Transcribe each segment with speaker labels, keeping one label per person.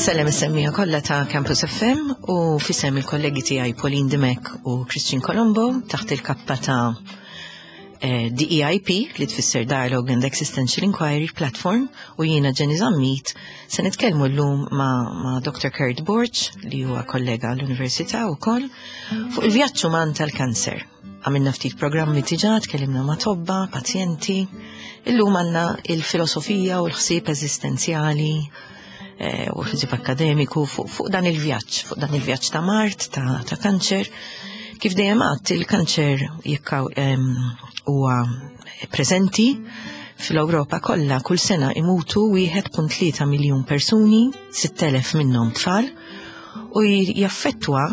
Speaker 1: Insellem is-semmija kollha ta' Campus FM u fisem il-kollegi tiegħi Pauline Dimech u Christian Colombo taħt il-kappa ta' eh, DEIP li tfisser Dialogue and Existential Inquiry Platform u jiena Jenny Zammit se nitkellmu llum ma', ma Dr. Kurt Borg li huwa kollega l-Università wkoll fuq il-vjaġġ uman tal-kanser. Għamilna ftit programmi diġà, tkellimna ma' tobba, pazjenti. Illum għandna il-filosofija u l-ħsieb eżistenzjali eh, u l-ħsieb akademiku fuq fu dan il-vjaġġ, fuq dan il-vjaġġ ta' mart, ta', ta kanċer. Kif dejjem għadt il-kanċer jekk huwa preżenti fl-Ewropa kollha kull sena imutu 1.3 miljun persuni, 6,000 minnhom tfal, u jaffettwa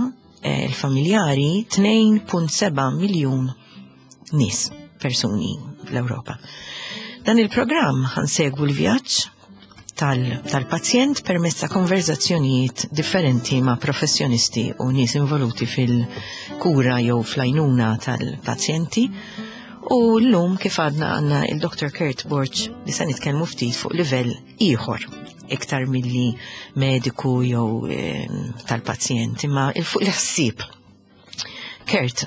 Speaker 1: eh, il-familjari 2.7 miljun nies, persuni fl-Ewropa. Dan il-programm ħansegwu l-vjaġġ tal-pazjent tal permezz ta' konverzazzjonijiet differenti ma' professjonisti u nies involuti fil-kura jew fl-għajnuna tal-pazjenti. U l-lum kif għadna għanna il-Dr. Kurt Borch li se nitkellmu ftit fuq livell ieħor iktar milli mediku jew eh, tal-pazjent, imma il-fuq il-ħsieb. Kurt,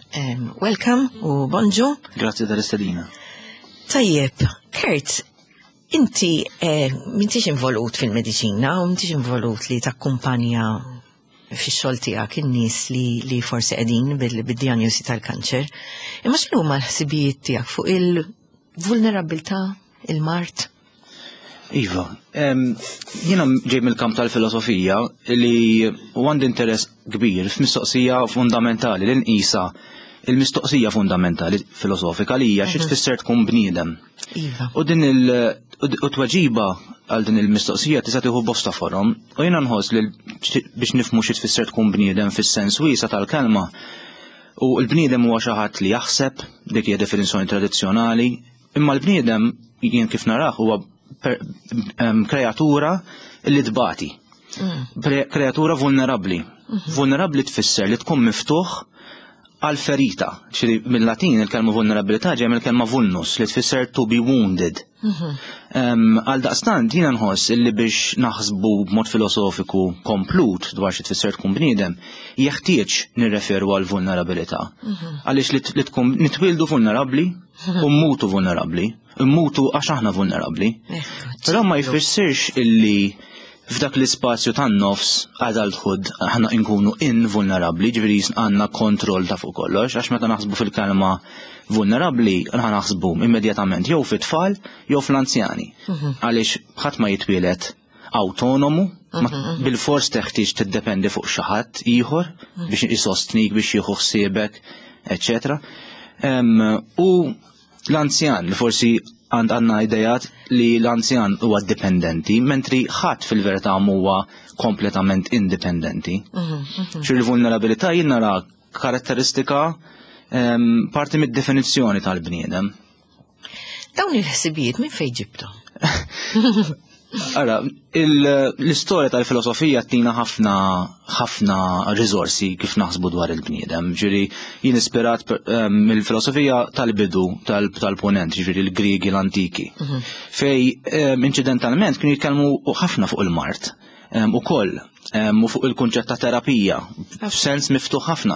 Speaker 1: welcome u bonġu.
Speaker 2: Grazzi tal-istedina.
Speaker 1: Tajjeb, Kurt, inti eh, m'intix involut fil-mediċina u m'intix involut li takkumpanja fix-xogħol tiegħek in-nies li, li forsi qegħdin bil-dijanjosi tal-kanċer. Imma x'inhuma l-ħsibijiet tiegħek fuq il-vulnerabilità, il-mart?
Speaker 2: Iva, jiena ġej mill-kamp tal-filosofija li għandi interess kbir f'mistoqsija fundamentali li nqisa il-mistoqsija fundamentali filosofika li hija xi mhm. tfisser tkun bniedem. Iva. U din il u tweġiba għal din il-mistoqsija tista' tieħu bosta forom u jiena nħoss li biex nifhmu xi tfisser tkun bniedem fis-sens wiesa tal-kelma u l-bniedem huwa xi ħadd li jaħseb dik hija definizzjoni tradizzjonali Imma l-bniedem jien kif narah huwa kreatura li tbati. Mm. Kreatura vulnerabbli. Mhm. Vulnerabbli tfisser li tkun miftuħ għal ferita. Ċiri mill-Latin il-kelma vulnerabilità ġej mill-kelma vulnus li tfisser to be wounded. Mhm. Għal daqstant jiena nħoss illi biex naħsbu b'mod filosofiku komplut dwar xi tfisser tkun bniedem, jeħtieġ nirreferu għal vulnerabilità. Mhm. Għaliex li tkun nitwieldu vulnerabbli u mmutu vulnerabbli, mmutu għax aħna vulnerabbli. Però ma jfissirx illi f'dak l-ispazju tan-nofs adulthood aħna nkunu invulnerabbli, ġifieri għandna kontroll ta' fuq kollox, għax meta naħsbu fil-kelma vulnerabbli, aħna naħsbu immedjatament jew fit-tfal jew fl-anzjani. Mhm. Għaliex ħadd ma jitwielet awtonomu, mhm, mhm. bil-fors teħtieġ tiddependi fuq xi ħadd ieħor mhm. biex isostnik, biex jieħu ħsiebek, eċetera. U l-anzjan li forsi għand għandna idejat li l-anzjan huwa dipendenti, mentri ħadd fil-verità huwa kompletament indipendenti. Xi l-vulnerabilità jien nara karatteristika parti mid-definizzjoni tal-bniedem.
Speaker 1: Dawn il-ħsibijiet minn fejn ġibthom?
Speaker 2: Ara, l-istorja tal-filosofija tina ħafna ħafna riżorsi kif naħsbu dwar il-bniedem. Ġiri, jien ispirat eh, mill-filosofija tal-bidu tal-ponent, ġiri l-Griegi l-antiki. Mhm. Fej, eh, incidentalment, kienu jitkellmu ħafna fuq il-mart. Eh, ukoll u fuq il-kunċett ta' terapija f'sens miftuħ ħafna.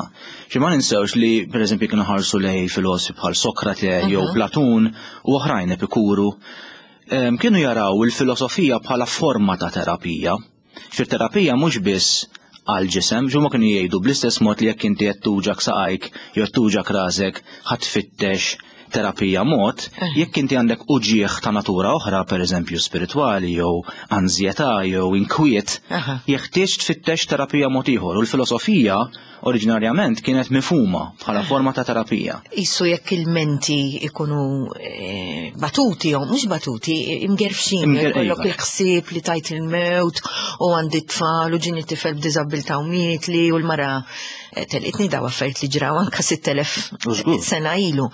Speaker 2: Xi ma ninsewx li pereżempju kienu ħarsu lej filosofi bħal Sokrate jew mhm. Platun u oħrajn Epikuru kienu jaraw il-filosofija bħala forma ta' terapija. Xi terapija mhux biss għal ġisem, ġumma kienu jgħidu bl-istess mod li jekk inti qed tuġak saqajk jew tuġak rasek ħadd tfittex terapija mod, eh. jekk inti għandek uġieħ ta' natura oħra, per eżempju spiritwali jew anzjetà jew inkwiet, jeħtieġ tfittex terapija mod ieħor. U l-filosofija oriġinarjament kienet mifhuma bħala eh. forma ta' terapija.
Speaker 1: Issu jekk il-menti ikunu eh, batuti jew mhux batuti, imgerfxin, jkollok iva. il-ħsieb li tajt il-mewt u għandi tfal u ġini tifel b'diżabilità u mietli u l-mara Eh, telqitni daw affarijiet li ġraw anka 6000 sena ilu.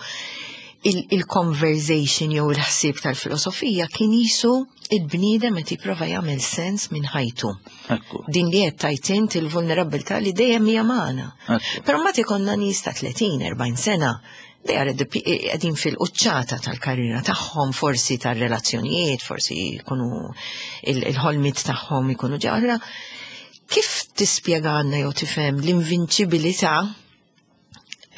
Speaker 1: Il-conversation jew il-ħsieb tal-filosofija kien jisu il-bniedem qed jipprova jagħmel sens minn ħajtu. Din li qed tajt int il-vulnerabilità li dejjem hija magħna. Però mbagħad ikollna nies ta' 30, 40 sena they are qegħdin fil-quċċata tal-karriera tagħhom, forsi tar-relazzjonijiet, forsi jkunu il-ħolmiet tagħhom ikunu ġarra. Kif tispjega għandna jew tifhem l-invinċibilità,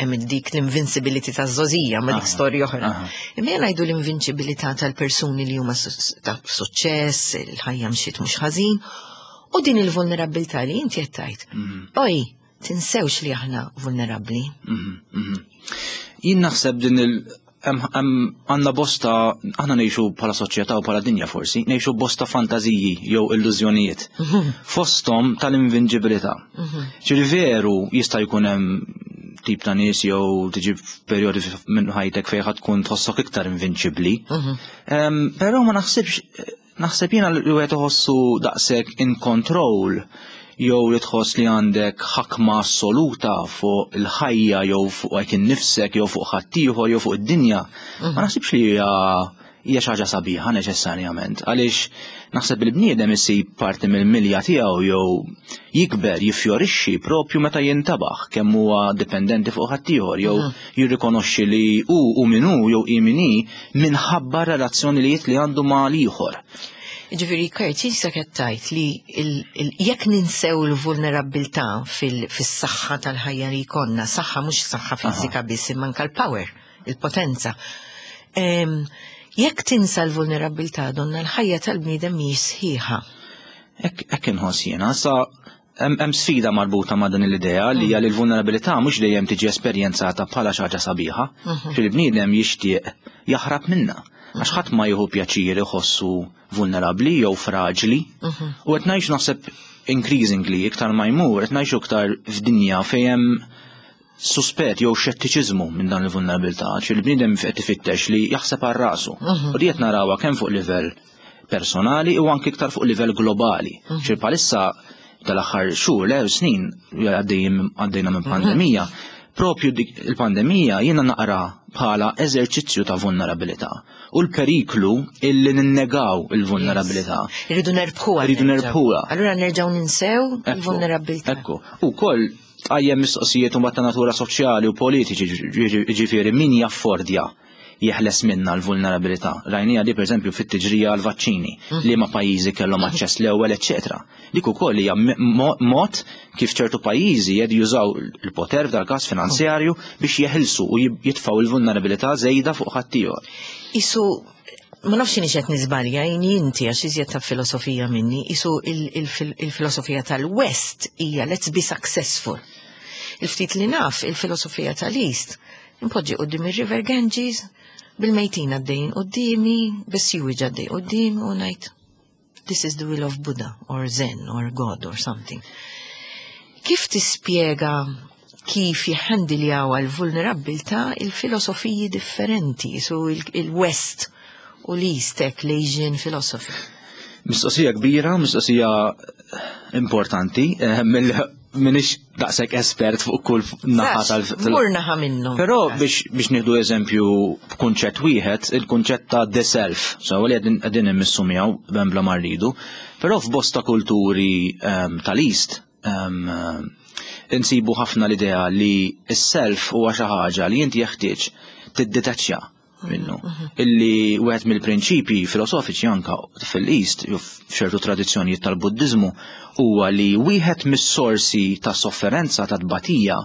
Speaker 1: hemm dik l-invincibility ta' żgħożija, ma dik storja oħra. Imma jien ngħidu l-invinċibilità tal-persuni li huma ta' suċċess, il-ħajja mxiet mhux ħażin, u din il-vulnerabilità li inti qed tgħid. Oj, tinsewx li aħna vulnerabbli.
Speaker 2: Jien naħseb din il- għandna bosta, aħna ngħixu bħala soċjetà u bħala dinja forsi, ngħixu bosta fantażiji jew illużjonijiet. Fosthom tal-invinċibilità. Ġifieri veru jista' jkun hemm tip ta' nies jew tiġi f'perjodi minn ħajtek fejn ħadd tkun tħossok iktar invinċibbli. Però ma naħsibx, naħseb jiena li wieħed iħossu daqshekk in control jew li tħoss li għandek ħakma assoluta fuq il-ħajja jew fuq hekk innifsek jew fuq ħaddieħor jew fuq id-dinja. Ma naħsibx li hija xi ħaġa sabiħa neċessarjament, għaliex naħseb il-bniedem isib parti mill-milja tiegħu jew jikber, jiffjorixxi propju meta jintabaħ kemm huwa dipendenti fuq ħaddieħor jew jirrikonoxxi li hu u min hu jew hi min hi minħabba relazzjonijiet li għandu ma' l-ieħor.
Speaker 1: Ġifieri, Kurt, jista' qed tgħid li jekk ninsew il-vulnerabilità fis-saħħa tal-ħajja li jkollna, saħħa mhux saħħa fiżika biss, imma anke l-power, il-potenza. Jekk tinsa l-vulnerabilità, donna l-ħajja tal-bniedem mhijiex sħiħa.
Speaker 2: Hekk inħoss jiena, sa hemm sfida marbuta ma' din l-idea li hija li l-vulnerabilità mhux dejjem tiġi esperjenzata bħala xi ħaġa sabiħa. Fil-bniedem jixtieq jaħrab minna. Għax ħadd ma jieħu pjaċir iħossu vulnerabbli jew fraġli. U qed ngħix naħseb increasingly iktar ma jmur, qed ngħixu iktar f'dinja fejn hemm suspett jew xettiċiżmu minn dan il-vulnerabilità, ċi l-bniedem qed ifittex li jaħseb għal rasu. U di qed narawha kemm fuq livell personali u anke iktar fuq livell globali. Ċi bħalissa tal-aħħar xhur, le snin, għaddejna minn pandemija, propju dik il-pandemija jiena naqra bħala eżerċizzju ta' vulnerabilità u l-periklu illi ninnegaw il-vulnerabilità.
Speaker 1: Irridu nerbħuha.
Speaker 2: Irridu nerbħuha.
Speaker 1: Allura nerġgħu ninsew il-vulnerabilità.
Speaker 2: Ekku. U koll tqajjem mistoqsijiet u ta' natura soċjali u politiċi, ġifieri min jaffordja jeħles minna l-vulnerabilità. Rajnieha di per eżempju fit-tiġrija għal-vaċċini, li ma pajjiżi kellhom aċċess l-ewwel, eċċetera. Dik ukoll hija mod kif ċertu pajjiżi jed jużaw il-poter f'dal każ finanzjarju biex jeħilsu u jitfgħu il-vulnerabilità żejda fuq ħaddieħor.
Speaker 1: Isu ma nafx inhi qed niżbalja, jien inti għax iżjed ta' filosofija minni, isu il-filosofija tal-West hija "let's be successful". Il-ftit li naf il-filosofija tal-East, impoġġi quddiem ir-River Ganges, bil-mejtin għaddejjin quddiemi, bis-sewage għaddej quddiemi u ngħid, "This is the will of Buddha or Zen or God or something." Kif tispjega kif jħandiljaw għal-vulnerabilità il-filosofiji differenti, su il-West u l-East, l-Asian philosophy?
Speaker 2: Mistoqsija kbira, mistoqsija importanti, minix daqshekk espert fuq kull naħa tal.
Speaker 1: Mur naħa minnu.
Speaker 2: Però biex nieħdu eżempju b'kunċett wieħed, il-kunċett ta' the self, so li qegħdin immissu miegħu bla ma rridu, però f'bosta kulturi tal-East insibu ħafna l-idea li s-self huwa xi ħaġa li inti jeħtieġ tiddetaċċja minnu. Illi wieħed mill-prinċipji filosofiċi anka fil-East, jew f'ċertu tradizzjonijiet tal-Buddizmu, huwa li wieħed mis-sorsi ta' sofferenza, ta' tbatija,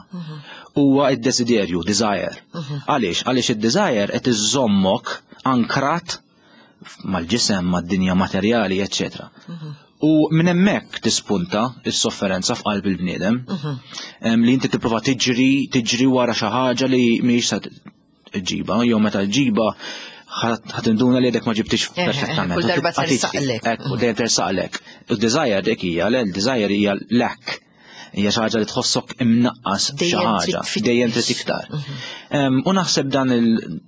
Speaker 2: huwa id-desiderju, desire. Għaliex? Għaliex id-desire qed iżommok ankrat mal-ġisem, mad-dinja materjali, eccetera. U minn hemmhekk tispunta s-sofferenza f'qalb il-bniedem, li inti tipprova tiġri, tiġri wara xi ħaġa li mhijiex sa ġiba, jew meta ġiba ħa tinduna li għadek ma ġibtix perfettament.
Speaker 1: Kull darba tersaqlek.
Speaker 2: Ekku, dejjem tersaqlek. U desire dik hija, le, l-desire hija lack. Hija xi ħaġa li tħossok imnaqqas xi
Speaker 1: Dejjem
Speaker 2: ħaġa,
Speaker 1: trid tfittex.
Speaker 2: Dejjem trid iktar. U naħseb dan il-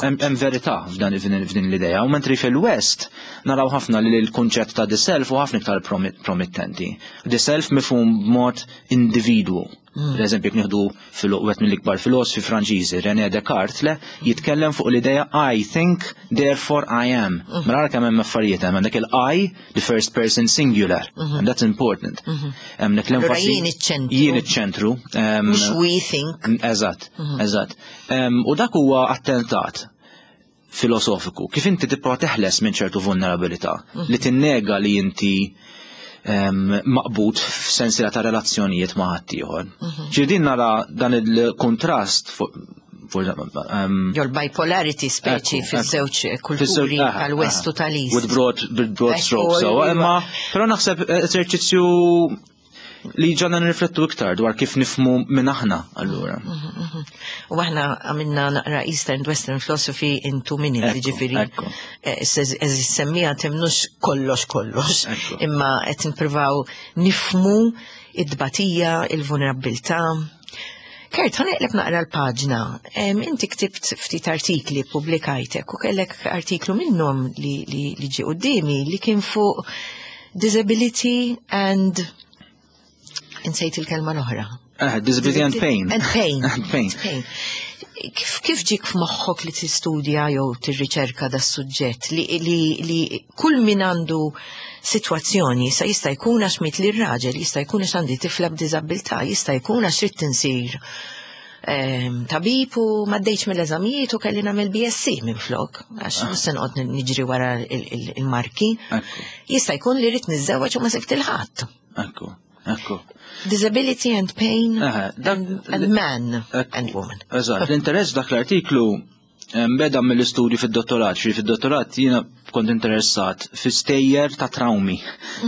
Speaker 2: hemm verità f'din l-idea, u mentri fil-West naraw ħafna li l-kunċett ta' the self u ħafna iktar promittenti. The self mifhum b'mod individwu. Per eżempju, jekk nieħdu wieħed mill-ikbar filosofi Franċiżi, René Descartes, le, jitkellem fuq l-idea "I think, therefore I am". Mela ara kemm hemm affarijiet hemm għandek il-I, the first person singular, and that's important. Hemm dik
Speaker 1: Allura
Speaker 2: l-enfasi.
Speaker 1: Jien iċ-ċentru.
Speaker 2: Jien iċ-ċentru.
Speaker 1: Mhux we think.
Speaker 2: Eżatt. U dak huwa attentat filosofiku. Kif inti tipprova teħles minn ċertu vulnerabilità li tinnega li inti maqbud f'sensiela ta' relazzjonijiet ma' ħaddieħor. Ġifieri din nara dan il-kontrast
Speaker 1: Jew l-bipolarity speċi fiż-żewġ kulturi tal-West u tal-East.
Speaker 2: With broad strokes. Imma però naħseb eżerċizzju li ġanna nirriflettu iktar dwar kif nifhmu minn aħna allura.
Speaker 1: U aħna għamilna naqra Eastern and Western Philosophy in 2 minutes, ġifieri. Semmija temnux kollox kollox, imma qed nippruvaw nifhmu id-dbatija, il-vulnerabbiltà. Kurt, ħa neqleb naqra l-paġna. Inti ktibt ftit artikli publikajtek u kellek artiklu minnhom li ġie qudiemi li kien fuq disability and, insejt il-kelma l-oħra.
Speaker 2: Disability and pain.
Speaker 1: And pain.
Speaker 2: And pain.
Speaker 1: Pain. Kif ġik f'moħħok li tistudja jew tirriċerka da suġġett li kull min għandu sitwazzjoni sa jista' jkun għax miet li raġel, jista' jkun għax għandi tifla b'diżabilità, jista' jkun għax ridt insir tabib u m'għaddejtx mill-eżamijiet u kelli nagħmel BSc minn flok, għax mhux se noqgħod niġri wara il-marki. Jista' jkun li rrid niżżewweġ u ma sibt il-ħadd.
Speaker 2: Ekku.
Speaker 1: Disability and pain and man and woman.
Speaker 2: Eżatt, l-interess dak l-artiklu beda mill-istudju fid-dottorat, xi fid-dottorat jiena kont interessat fi stejjer ta' traumi.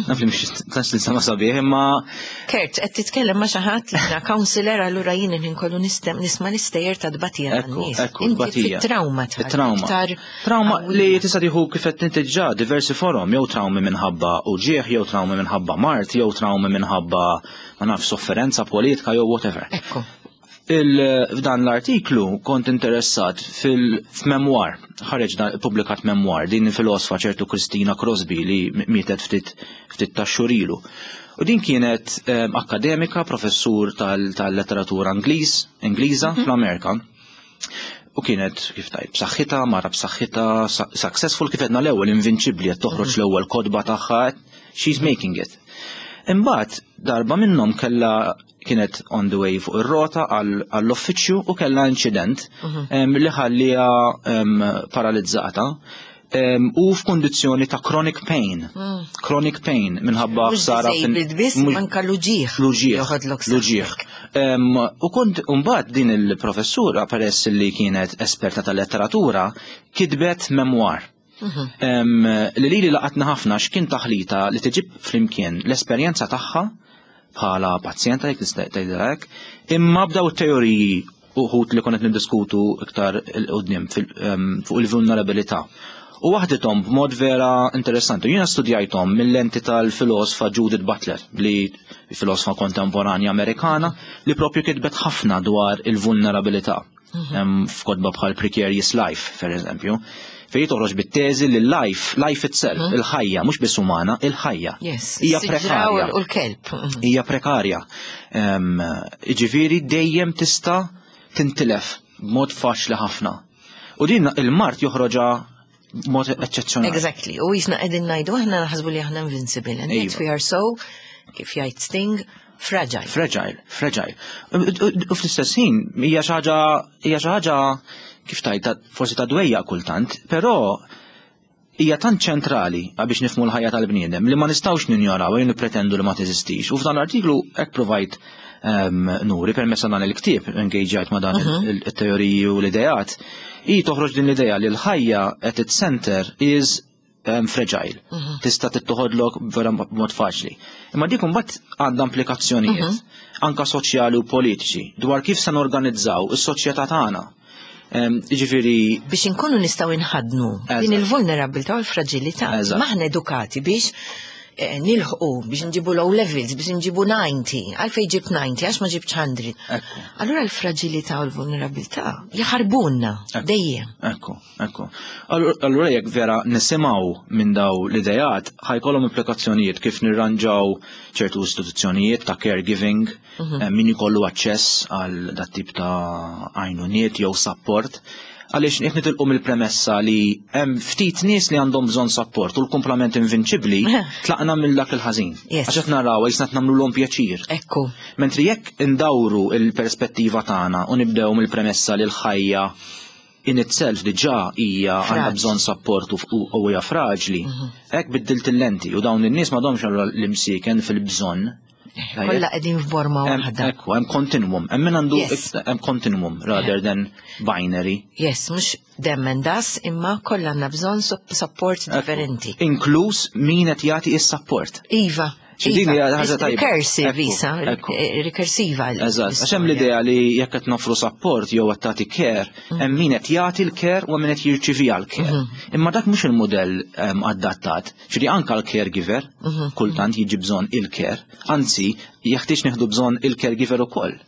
Speaker 2: Naf li mhux tantx li sabiħ, imma
Speaker 1: Kurt, qed titkellem ma' xi ħadd li jiena counselor, allura jien inkollu nisma' l-istejjer ta' tbatija tan-nies.
Speaker 2: Ekku, tbatija.
Speaker 1: Trauma.
Speaker 2: Trauma. Trauma li tista' tieħu, kif qed tintiġġa, diversi forom, jew traumi minħabba uġieħ, jew traumi minħabba mard, jew traumi minħabba, ma naf, sofferenza politika jew whatever. F'dan l-artiklu kont interessat fil-memoir, ħareġ publikat memoir, din filosfa ċertu Christina Crosby li mietet ftit ftit ta' xhur ilu. U din kienet akademika, professur tal-letteratura Ingliża fl-Amerika. U kienet, kif tajt, b'saħħitha, mara b'saħħitha, successful, kif għedna l-ewwel, invinċibbli, qed toħroġ l-ewwel kotba tagħha, she's making it. Imbagħad darba minnhom kellha, kienet on the way fuq ir-rota għall-uffiċċju u kellha inċident li ħallija paralizzata u f'kondizzjoni ta' chronic pain. Chronic pain minħabba
Speaker 1: ħsara biss, anka l-uġigħ.
Speaker 2: L-uġigħ. L-uġigħ. U kont mbagħad din il-professura, peress li kienet esperta tal-letteratura, kitbet memoir. Li laqatna ħafna x'kien taħlita li tiġib flimkien l-esperjenza tagħha bħala pazjenta, jekk tista' tgħidha hekk, imma b'daw it-teoriji uħut li konet niddiskutu iktar 'il quddiem fuq il-vulnerabilità. U waħdithom b'mod vera interessanti. Jiena studjajthom mill-lenti tal-filosfa Judith Butler, li filosfa kontemporanja Amerikana li propju kitbet ħafna dwar il-vulnerabilità. F'kotba bħal Precarious Life, per eżempju, fejn toħroġ bit-teżi li life, life itself, il-ħajja, mhux biss umana, il-ħajja.
Speaker 1: Hija prekarja. U l-kelb.
Speaker 2: Hija prekarja. Ġifieri dejjem tista' tintilef b'mod faċli ħafna. U din il-mard joħroġha b'mod eċċezzjonali.
Speaker 1: Exactly. U jisna qegħdin ngħidu aħna naħsbu li aħna invincible. And yet we are so, kif jgħid Sting, fragile.
Speaker 2: Fragile, fragile. U fl-istess ħin hija xi ħaġa kif tajt forsi ta' dwejja kultant, però hija tant ċentrali biex nifhmu l-ħajja tal-bniedem li ma nistgħux ninjoraw jew nippretendu li ma teżistix. U f'dan l-artiklu hekk provajt nuri permezz dan il-ktieb, engagejt ma' dan il-teoriji u l-ideat, i toħroġ din l-idea li l-ħajja at its center is fragile. Tista' tittoħodlok vera b'mod faċli. Imma dik imbagħad għandha implikazzjonijiet anka soċjali u politiċi dwar kif se norganizzaw is-soċjetà tagħna. Ġifieri
Speaker 1: biex inkunu nistgħu inħadnu din il-vulnerabilità u l-fragilità. Maħna edukati biex nilħqu, biex nġibu low levels, biex nġibu 90. Għalfej ġib 90, għax ma ġibx 100. Allura l-fragilità u l-vulnerabilità jaħarbunna dejjem.
Speaker 2: Ekku. Allura jekk vera nisimgħu minn daw l-idejat, ħa jkollhom implikazzjonijiet kif nirranġaw ċertu istituzzjonijiet ta' caregiving, min ikollu aċċess għal dat tip ta' għajnuniet jew support. Għaliex jekk nitilqu mill-premessa li hemm ftit nies li għandhom bżonn support u l-kumplament invinċibbli, tlaqna mill dak il-ħażin. Għax qed naraw jisna nagħmluhom pjaċir. Mentri jekk indawru il-perspettiva tagħna u nibdew mill-premessa li l-ħajja in itself diġà hija għandha bżonn support u hija fraġli. Hekk biddilt il-lenti u dawn in-nies m'għadhomx allura l-imsieken fil-bżonn.
Speaker 1: Kollha qegħdin f'borma waħda.
Speaker 2: Ekku, hemm continuum, hemm min għandu hemm continuum rather than binary.
Speaker 1: Yes, mhux them and us, imma kollha għandna bżonn support differenti.
Speaker 2: Inkluż min qed jagħti is-support.
Speaker 1: Iva.
Speaker 2: Din hija ħaġa tajba.
Speaker 1: Recursive isa, rikursiva.
Speaker 2: Eżatt, għax hemm l-idea li jekk qed nofru support jew qed tagħti care, mm. hemm min qed jagħti l-care u min qed jirċivi l-care. Mm-hmm. Imma dak mhux il-mudell ehm, adattat. Ġifieri anke l-caregiver mm-hmm. kultant jiġi bżonn il-care, anzi jeħtieġ nieħdu bżonn il-caregiver ukoll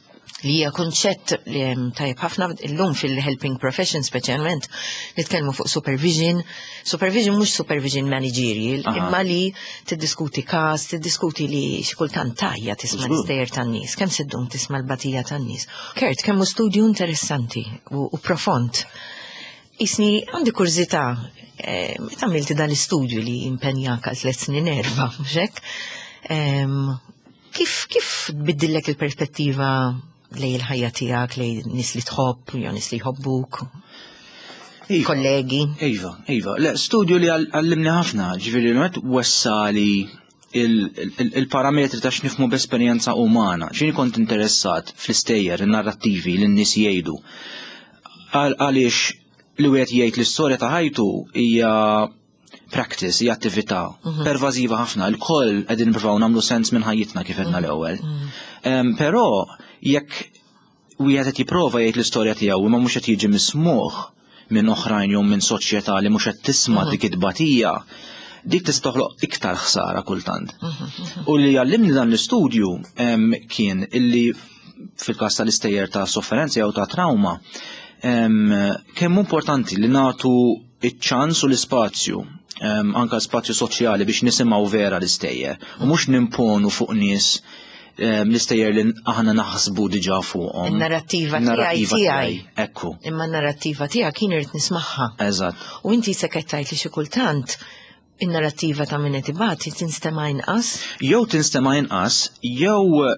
Speaker 1: li hija kunċett li hemm tajjeb ħafna illum fil-helping profession speċjalment nitkellmu fuq supervision. Supervision mhux supervision managerial, imma li tiddiskuti każ, tiddiskuti li xi kultant tajja tisma' l-istejjer tan-nies, kemm se ddum tisma' l-batija tan-nies. Kurt, kemm hu studju interessanti u, u profond. Isni għandi kurżità, eh, meta għamilti dan l-istudju li impenjak għal tliet snin erba', mhux hekk? Kif kif tbiddillek il-perspettiva lej il-ħajja tiegħek, lej nies li tħobb, jew nies li jħobbuk?
Speaker 2: Iva.
Speaker 1: Kollegi.
Speaker 2: Iva, iva. Le, studju li għallimni ħafna, ġifieri l wessali il-parametri ta' x'nifmu b'esperjenza umana. X'inhi kont interessat fl-istejjer, in-narrattivi li n-nies jgħidu. Għaliex li wieħed jgħid l-istorja ta' ħajtu hija practice, hija attività mhm. pervażiva ħafna, il-koll qegħdin nippruvaw nagħmlu sens minn ħajjitna kif għedna mhm. l-ewwel. Mhm. Però jekk wieħed qed jipprova jgħid l-istorja tiegħu imma mhux qed jiġi mismuh minn oħrajn jew minn soċjetà li mhux qed tisma' dik it-tbatija, dik tista' toħloq iktar ħsara kultant. U li għallimni dan l-istudju kien illi fil-każ tal-istejjer ta' sofferenza jew ta' trauma, kemm importanti li nagħtu iċ-ċans u l-ispazju anka spazju soċjali biex nisimgħu vera l-istejjer u mhux nimponu fuq nies l-istejjer li aħna naħsbu diġà fuqhom.
Speaker 1: In-narrattiva tiegħi tiegħi.
Speaker 2: Ekku.
Speaker 1: Imma n-narrattiva tiegħek jien irid nismagħha.
Speaker 2: Eżatt.
Speaker 1: U inti se tgħid li xi kultant in-narrattiva ta' min qed ibati tinstema' inqas.
Speaker 2: Jew tinstema' inqas, jew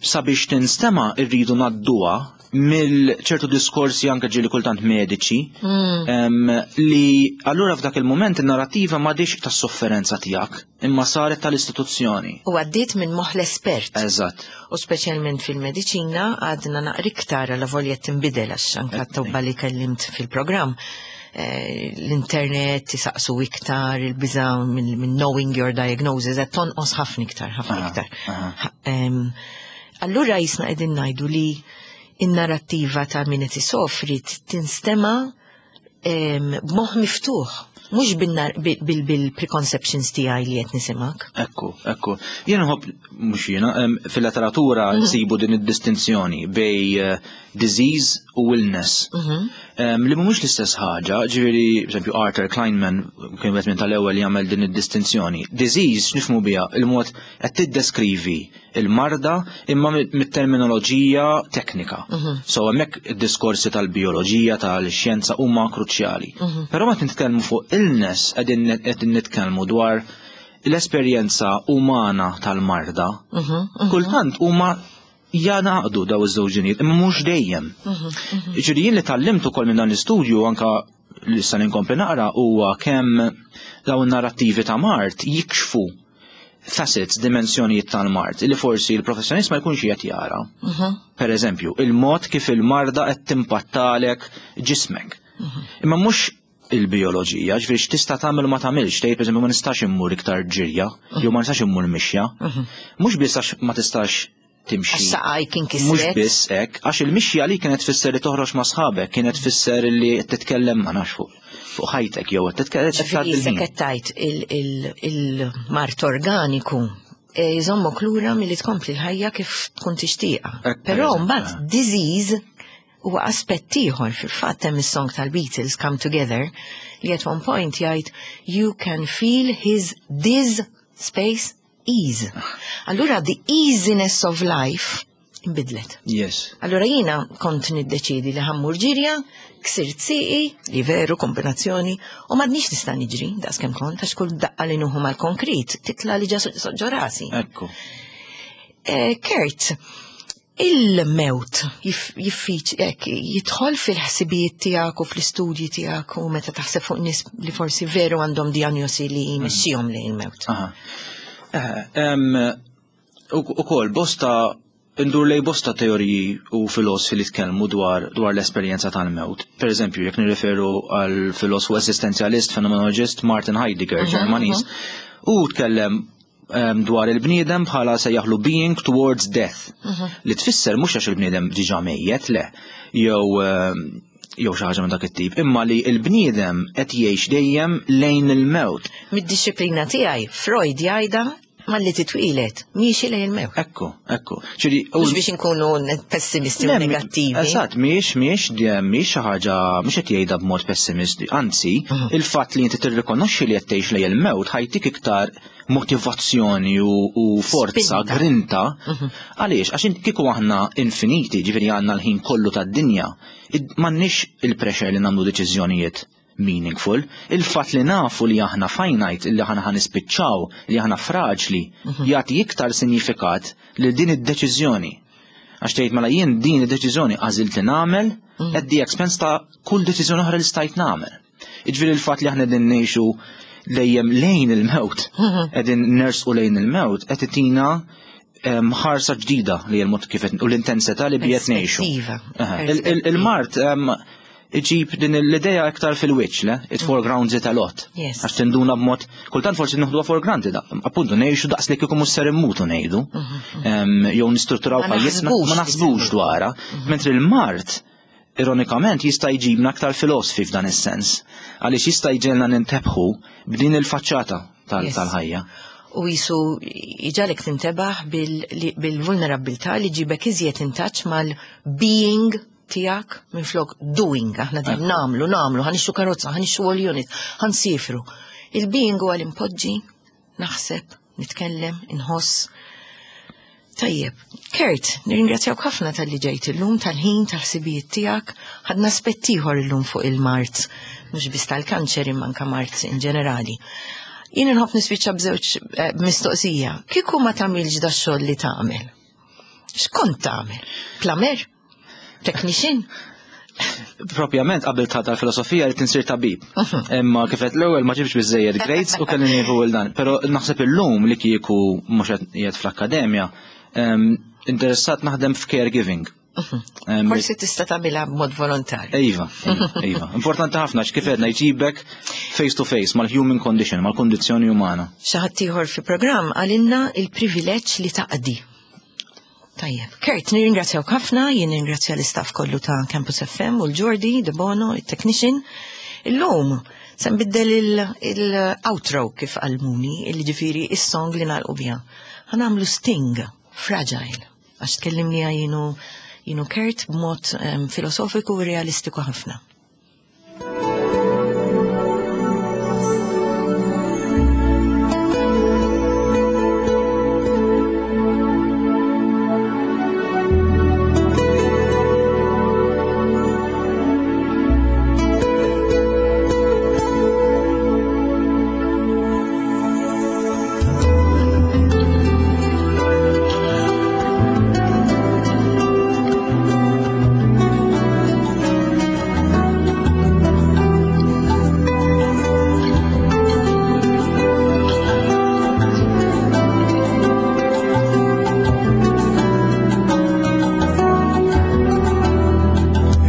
Speaker 2: sabiex tinstema' rridu ngħadduha mill ċertu diskorsi anke ġieli kultant mediċi mm. li allura f'dak il-moment in-narrativa m'għadix tas-sofferenza tiegħek imma saret tal-istituzzjoni.
Speaker 1: U għaddiet minn moħħ l-espert.
Speaker 2: Eżatt.
Speaker 1: U speċjalment fil-mediċina għadna naqra iktar għal volja tinbidel għax anke t-tobba li kellimt fil-programm eh, l-internet tisaqsu iktar il-biża minn knowing your diagnosis qed tonqos ħafna iktar, ħafna iktar. Allura jisna qegħdin ngħidu li in-narrattiva ta' min qed isofri tinstema' b'moħħ miftuħ, mhux bil-preconceptions tiegħi li qed nisimgħek.
Speaker 2: Ekku, ekku. Jien nħobb mhux jiena, fil-letteratura mhm. nsibu din id-distinzjoni bej eh, disease u illness. Mhm. Li mhumiex l-istess ħaġa, ġifieri, pereżempju Arthur Kleinman kien wieħed minn tal-ewwel jagħmel din id-distinzjoni. Disease nifhmu biha il-mod qed tiddeskrivi il-marda imma mit-terminoloġija teknika. Mhm. So hemmhekk id-diskorsi tal-bioloġija, tal-xjenza huma kruċjali. Mhm. Però meta nitkellmu fuq illness qegħdin nitkellmu dwar l-esperjenza umana tal-marda. Mhm, Kultant huma janaqdu daw iż-żewġ ġinijiet, imma mhux dejjem. Ġifieri jien li tgħallimt ukoll minn dan l-istudju anka li sa ninkompli naqra huwa kemm dawn narrattivi ta' mard jikxfu facets, dimensjonijiet tal-mard li forsi l-professjonist ma jkunx qed jara. Mhm. Per eżempju, il-mod kif il-marda qed timpattalek ġismek. Mhm. Imma mhux il-bioloġija, ġifieri x'tista' tagħmel u ma tagħmilx, tgħid pereżempju ma nistax immur iktar ġirja, jew ma nistax immur mixja. Mhm. Mhux biss għax ma tistax timxi.
Speaker 1: Għax saqajk inkisret.
Speaker 2: Mhux biss hekk, għax il-mixja li kienet tfisser li toħroġ ma' sħabek, kienet tfisser li titkellem ma nafx fuq fuq ħajtek jew qed titkellem.
Speaker 1: Ġifieri qed tgħid il-mart organiku e, jżommok lura milli tkompli l-ħajja kif tkun tixtieqha. Però mbagħad disease huwa aspett ieħor fil-fatt hemm is-song tal-Beatles Come Together li at one point jgħid you can feel his dis space ease. Allura the easiness of life imbidlet.
Speaker 2: Yes.
Speaker 1: Allura jiena kont niddeċidi li ħammur ġirja, ksirt siqi, li veru kombinazzjoni, u m'għadniex nista' niġri daqs kemm kont għax kull daqqa li nuħu mal-konkrit titla li ġa rasi.
Speaker 2: Ekku.
Speaker 1: Eh, Kurt, Il-mewt jiffiċ hekk jidħol fil-ħsibijiet tiegħek u fl-istudji tiegħek u meta taħseb fuq nies li forsi veru għandhom diagnosi li jmexxihom lejn il-mewt.
Speaker 2: Ukoll bosta indur lej bosta teoriji u filosofi li tkellmu dwar l-esperjenza tal-mewt. Per eżempju, jekk nirreferu għal filosofu esistenzjalist, fenomenologist Martin Heidegger, Ġermaniż, u tkellem dwar il-bniedem bħala sejjaħlu being towards death. Li tfisser mhux għax il-bniedem diġà mejjet, le, jew jew xi ħaġa minn dak it-tip, imma li l-bniedem qed jgħix dejjem lejn il-mewt.
Speaker 1: Mid-dixxiplina tiegħi, Freud jgħidha malli titwieled, miexi lejn il-mewt.
Speaker 2: Ekku, ekku. Ġifieri,
Speaker 1: Mhux biex inkunu pessimisti u negattivi.
Speaker 2: Eżatt, mhijiex mhijiex mhijiex xi ħaġa mhux qed jgħidha b'mod pessimisti, anzi, il-fatt li inti tirrikonoxxi li qed tgħix lejn il-mewt ħa jtik iktar motivazzjoni u forza,
Speaker 1: Spinta.
Speaker 2: Grinta. Għaliex? Għax kieku aħna infiniti, ġifieri għandna l-ħin kollu tad-dinja, m'għandniex il-pressure li nagħmlu deċiżjonijiet meaningful. Il-fatt li nafu li aħna finite, li aħna ħa nispiċċaw, li aħna fraġli, jagħti iktar sinifikat lil din id-deċiżjoni. Għax tgħid mela jien din id-deċiżjoni għażilt li nagħmel at the expense ta' kull deċiżjoni oħra li stajt nagħmel. Jiġifieri il-fatt li aħna qegħdin ngħixu dejjem lejn il-mewt, qegħdin nersqu lejn il-mewt, qed itina ħarsa ġdida li l-mod kif u l-intensità li bijet ngħixu.
Speaker 1: Perspettiva.
Speaker 2: Il-mard iġib din l-idea iktar fil-wiċċ, le? It foregrounds it a lot. Għax tinduna b'mod, kultant forsi noħduha for granted, appuntu ngħixu daqs li kieku mhux ser immutu ngħidu. Jew nistrutturaw
Speaker 1: Ma
Speaker 2: ħajjitna,
Speaker 1: naħsbux
Speaker 2: ma
Speaker 1: li
Speaker 2: naħsbux
Speaker 1: ser
Speaker 2: dwarha. Mentri l-mard, ironikament, jista' jġibna aktar filosofi f'dan is-sens. Għaliex jista' jġegħelna nintebħu b'din il-faċċata tal-ħajja.
Speaker 1: U jisu iġagħlek tintebaħ bil-vulnerabilità li ġibek iżjed in touch mal-being tiegħek minn flok doing. Aħna din nagħmlu, nagħmlu, ħa nixtru karozza, ħa nixtru all unit, ħa nsifru. Il-being huwa l-impoġġi, naħseb, nitkellem, inħoss. Tajjeb, Kurt, nirringrazzjawk ħafna talli ġejt illum, tal-ħin, tal-ħsibijiet tiegħek. Ħadna aspett ieħor illum fuq il-mard, mhux biss tal-kanċer imma anke mard in ġenerali. Jien inħobb nispiċċa b'żewġ mistoqsija. Kieku ma tagħmilx da xogħol li tagħmel? X'kont tagħmel? Plumber? Technician?
Speaker 2: Propjament qabel ta' tal-filosofija li tinsir tabib. Imma kif qed l-ewwel ma ġibx biżejjed grades u kelli nieħu l dan. Però naħseb illum li kieku mhux qed qiegħed fl-akkademja, interessat naħdem f'caregiving.
Speaker 1: Forsi tista' tagħmilha b'mod volontarju.
Speaker 2: Iva, iva, iva. Importanti ħafna għax kif għedna jġibek face to face mal-human condition, mal-kondizzjoni umana.
Speaker 1: Xi ħadd ieħor fi programm għalinna il-privileġġ li taqdi. Tajjeb, Kurt, nirringrazzjawk ħafna, jien nirringrazzja l-istaff kollu ta' Campus FM u l-Jordi, De Bono, il-technician. Illum, se nbiddel il-outro kif għallmuni, il-ġifiri il-song li nagħlqu biha. Ħa nagħmlu Sting, Fragile, għax tkellimni jien u Kurt b'mod filosofiku u realistiku ħafna.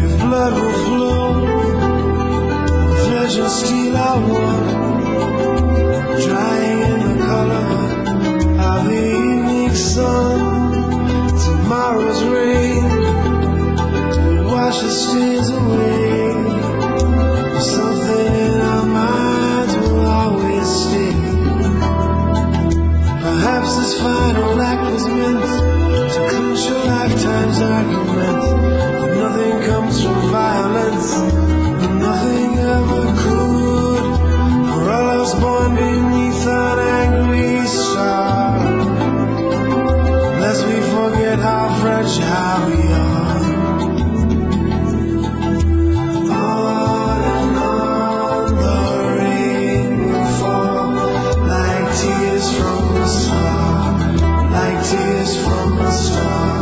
Speaker 3: If blood will flow, flesh and steel are one, drying in the color of the evening sun. Tomorrow's rain will wash the stains away. Something in our minds will always stay. Perhaps this final act was meant to clinch a lifetime's argument. That nothing comes from violence, and nothing ever could. For all us born beneath an angry star, lest we forget how fragile we are. On and on the rain will fall, like tears from a star, like tears from a star.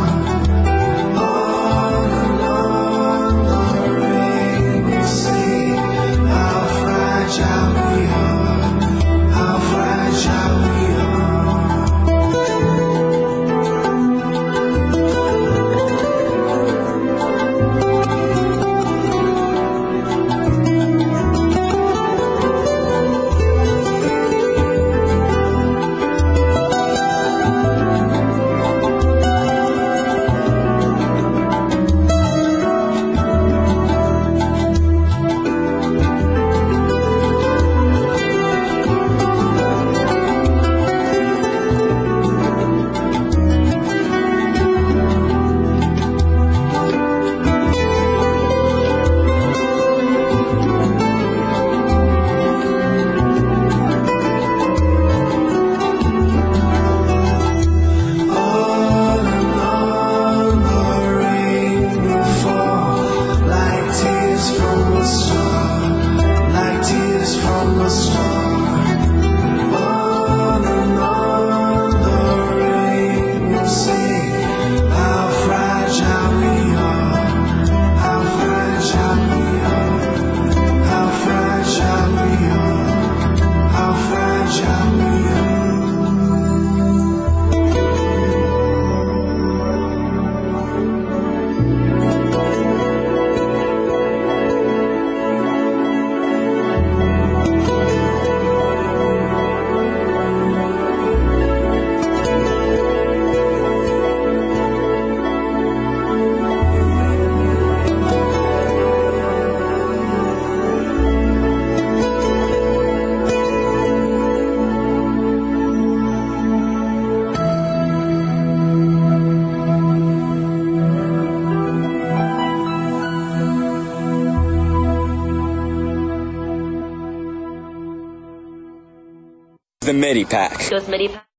Speaker 4: The MIDI pack.
Speaker 5: Goes MIDI pack.